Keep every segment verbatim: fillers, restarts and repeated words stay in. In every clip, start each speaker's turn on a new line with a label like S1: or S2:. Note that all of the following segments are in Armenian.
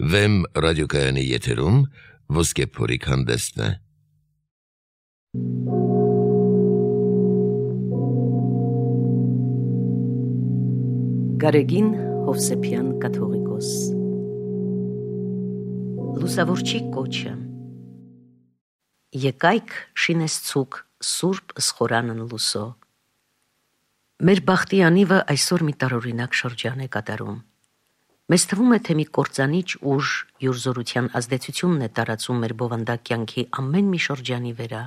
S1: Վեմ ռադիոկայանի եթերում ոսկե փորիկ հանդեսն է։
S2: Գարեգին Հովսեփյան կաթողիկոս Լուսավորչի կոչը Եկայք շինեսցուկ սուրբ ըսխորանն լուսո։ Մեր բախտի անիվը այսօր մի տարօրինակ շրջան է կատարում։ Մեզ թվում է, թե մի կործանիչ ուժ յուր ազդեցությունն է տարածում մեր բովանդակ կյանքի ամեն մի շրջանի վրա,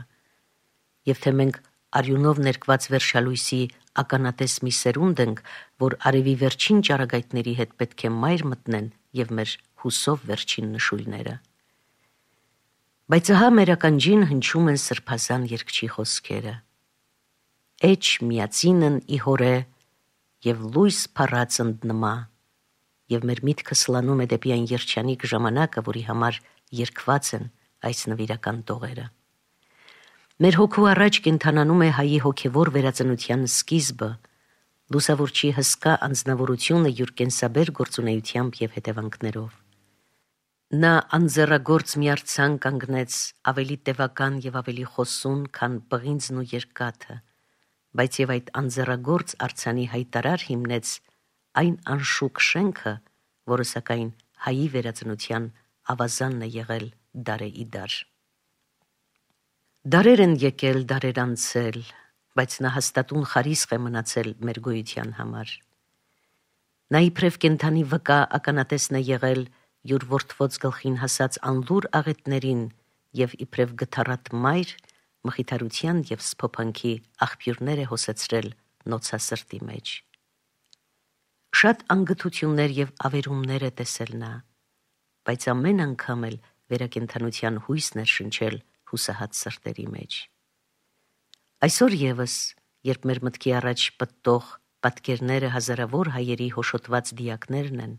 S2: եւ թե մենք արյունով ներկված վերջալույսի ականատես մի սերունդ ենք, որ արևի վերջին ճառագայթների հետ պետք է մայր մտնեն եւ մեր հուսով վերջին նշույլները։ Բայց ահա մեր ականջին հնչում են սրբազան երգչի խոսքերը. Էջ միածինն ի հորե եւ լույս փառած ընդնմա, եւ մեր միտքը սլանում է դեպի այն երջանիկ ժամանակը, որի համար երգված են այս նվիրական տողերը։ Մեր հոգու առաջ կենթանանում է հայի հոգևոր վերածնության սկիզբը, լուսավորչի հսկա անձնավորությունը յուր կենսաբեր գործունեությամբ եւ հետևանքներով։ Նա անձեռագործ մի արձան կանգնեց, ավելի տևական եւ ավելի խոսուն, քան պղինձն ու երկաթը, բայց եւ այդ անձեռագործ արձանի հայտարար հիմնեց այն անշուք շենքը, որը սակայն հայի վերածնության ավազանն է եղել դարե ի դար։ Դարեր են եկել, դարեր անցել, բայց նա հաստատուն խարիսխ է մնացել մեր գոյության համար։ Նա իբրև կենդանի վկա ականատեսն է եղել յուր որդվոց գլխին հասած անլուր աղետներին եւ իբրև գթառատ մայր մխիթարության եւ սփոփանքի աղբյուրներ է հոսեցրել նոցասրտի մեջ։ Շատ անգթություններ եւ ավերումներ է տեսել նա, բայց ամեն անգամ էլ վերակենդանության հույսն էր շնչել հուսահատ սրտերի մեջ։ Այսօր եւս, երբ մեր մտքի առաջ պտտող պատկերները հազարավոր հայերի հոշոտված դիակներն են,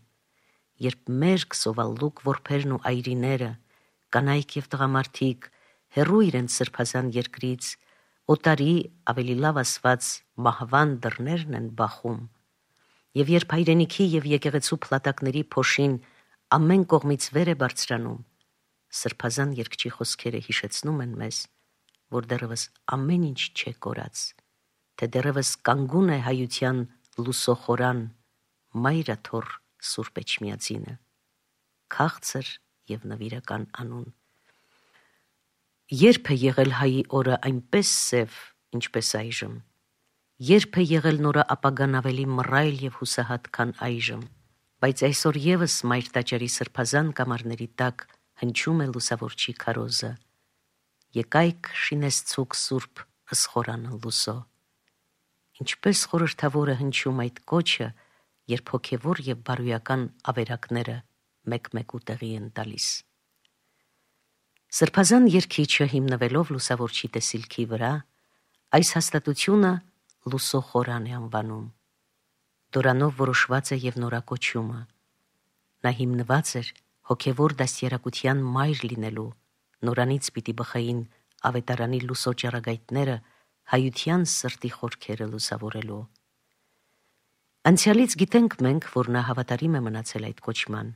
S2: երբ մերկ սովալլուկ որբերն ու այրիները, կանայք եւ տղամարդիկ հեռու իրենց սրբազան երկրից, օտարի ավելի լավ ասված մահվան դռներն են բախում, եւ երբ հայրենիքի եւ եկեղեցու փլատակների փոշին ամեն կողմից վեր է բարձրանում, սրբազան երգչի խոսքերը հիշեցնում են մեզ, որ դեռևս ամեն ինչ չէ կորած, թե դեռևս կանգուն է հայության լուսոխորան, մայրաթոռ Սուրբ Էջմիածինը, քաղցր եւ նվիրական անուն։ Երբ է եղել հայի օրը այնպես սև, ինչպես այժմ, երբ է եղել նորը ապագան ավելի մռայլ եւ հուսահատ, քան այժմ, բայց այսօր եւս մայր տաճարի սրբազան կամարների տակ հնչում է լուսավորչի քարոզը. Եկայք շինեսցուկ սուրբ ըսխորանը լուսո։ Ինչպես խորհրդավոր է հնչում այդ կոչը, երբ հոգևոր եւ բարոյական ավերակները մեկ-մեկու տեղի են տալիս։ Սրբազան երգիչը հիմնվելով լուսավորչի տեսիլքի վրա, այս հաստատությունը լուսո խորան է անվանում։ Դորանով որոշված է եւ նորակոչումը։ Նա հիմնված էր հոգևոր դաստիարակության մայր լինելու, նորանից պիտի բխային ավետարանի լուսո ճառագայթները հայության սրտի խորքերը լուսավորելու։ Անցյալից գիտենք մենք, որ նա հավատարիմ է մնացել այդ կոչման։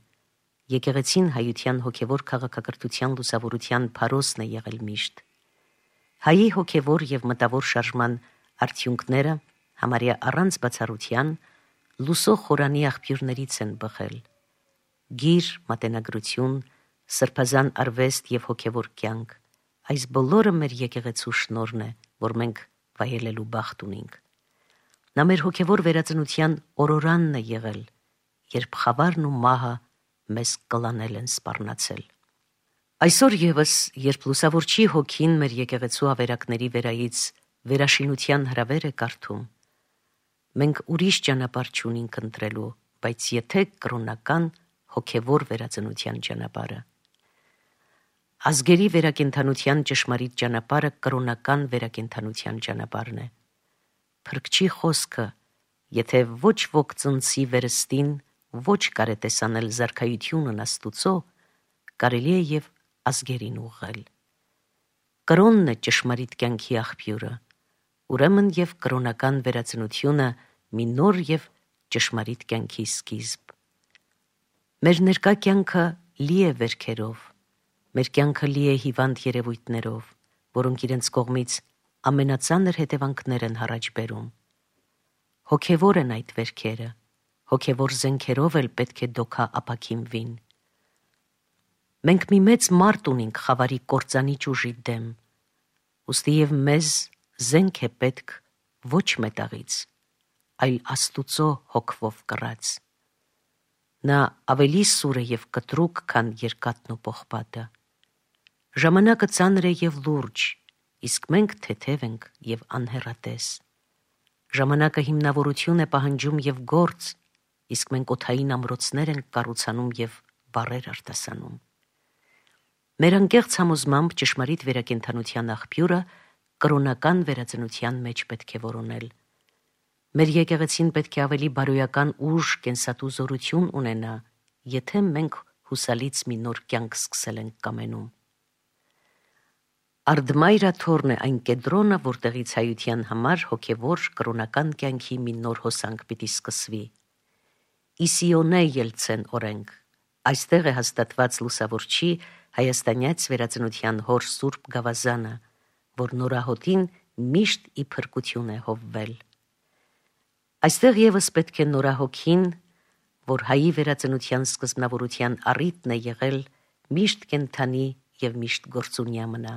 S2: Եկեղեցին հայության հոգևոր քաղաքակրթության լուսավորության փարոսն է եղել միշտ։ Հայի հոգևոր եւ մտավոր շարժման արդյունքները համարյա առանց բացառության լուսո խորանի աղբյուրներից են բխել։ Գիր, մատենագրություն, սրբազան արվեստ եւ հոգևոր կյանք, այս բոլորը մեր եկեղեցու շնորհն է, որ մենք վայելելու բախտ ունենք։ Նա մեր հոգևոր վերածնության օրորանն է եղել, երբ խավարն ու մահը մեզ կլանել են սպառնացել։ Այսօր եւս, երբ լուսավորչի հոգին մեր եկեղեցու ավերակների վերայից վերաշինության հրավեր է կարդում, մենք ուրիշ ճանապարհ չունենք ընտրելու, բայց եթե կրոնական հոգևոր վերածնության ճանապարհը։ Ազգերի վերակենդանության ճշմարիտ ճանապարհը կրոնական վերակենդանության ճանապարհն է։ Փրկչի խոսքը, եթե ոչ ոք ծնցի վերստին, ոչ կարետեսանել զարքայությունն Աստուծո, կարելի է եւ ազգերին ուղղել։ Կրոնն է ճշմարիտ կյանքի աղբյուրը, ուրեմն եւ կրոնական վերածնությունը մի նոր եւ ճշմարիտ կյանքի սկիզբ։ Մեր ներկա կյանքը լի է վերքերով, մեր կյանքը լի է հիվանդ երևույթներով, որոնք իրենց կողմից ամենածանր հետևանքներ են առաջ բերում։ Հոգևոր են այդ վերքերը, հոգևոր զենքերով էլ պետք է դոքա ապաքինվին։ Մենք մի մեծ մարդ ունենք խավարի կործանիչ ուժի դեմ, ուստի և մեզ զենք է պետք ոչ մետաղից, այլ Աստուծո հոգվով կռած։ Նա ավելի սուր է և կտրուկ, քան երկաթն ու պողպատը։ Ժամանակը ծանր է և լուրջ, իսկ մենք թեթև ենք և անհեռատես։ Ժամանակը հիմնավորություն է պահանջում և գործ, իսկ մենք օդային ամրոցներ ենք կառուցանում և բառեր արտասանում։ Մեր անկեղծ համոզմամբ ճշմարիտ վերակենդանության աղբյուրը կրոնական վերածնության մեջ պետք է որոնել։ Մեր եկեղեցին պետք է ավելի բարոյական ուժ, կենսատու զորություն ունենա, եթե մենք հուսալից մի նոր կյանք սկսել ենք կամենում։ Արդմայրա թորն է այն կեդրոնը, որտեղից հայության համար հոգևոր կրոնական կյանքի մի նոր հոսանք պիտի սկսվի։ Իսիոնե ելցեն օրենք, այստեղ է հաստատված լուսավորչի հայաստանյաց վերածնության հոր սուրբ գավազանը, որ նորահոտին միշտ ի փրկություն է հովվել։ Այստեղ ևս պետք է նորահոգին, որ հայի վերածնության սկզբնավորության առիթն է եղել, միշտ կենդանի և միշտ գործունյա մնա։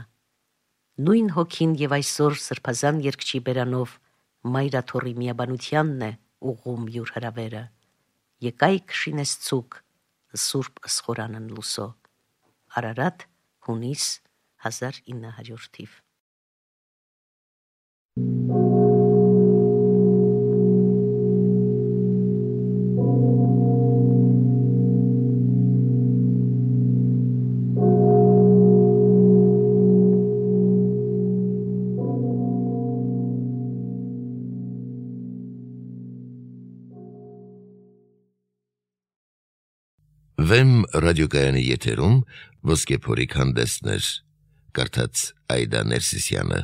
S2: Նույն հոգին և այսօր սրբազան երգչի բերանով Մայրաթորի միաբանությանն է ուղղում յուր հրավերը։ Եկայք շինեսցուկ սուրբ ըսխորանն լուսո։ Արարատ, հունիս հազար ինը հարյուր թիվ։
S1: Վեմ ռադիոկայանի եթերում ոսկեփորիկ հանդեսներ, կարդաց Այդա Ներսիսյանը։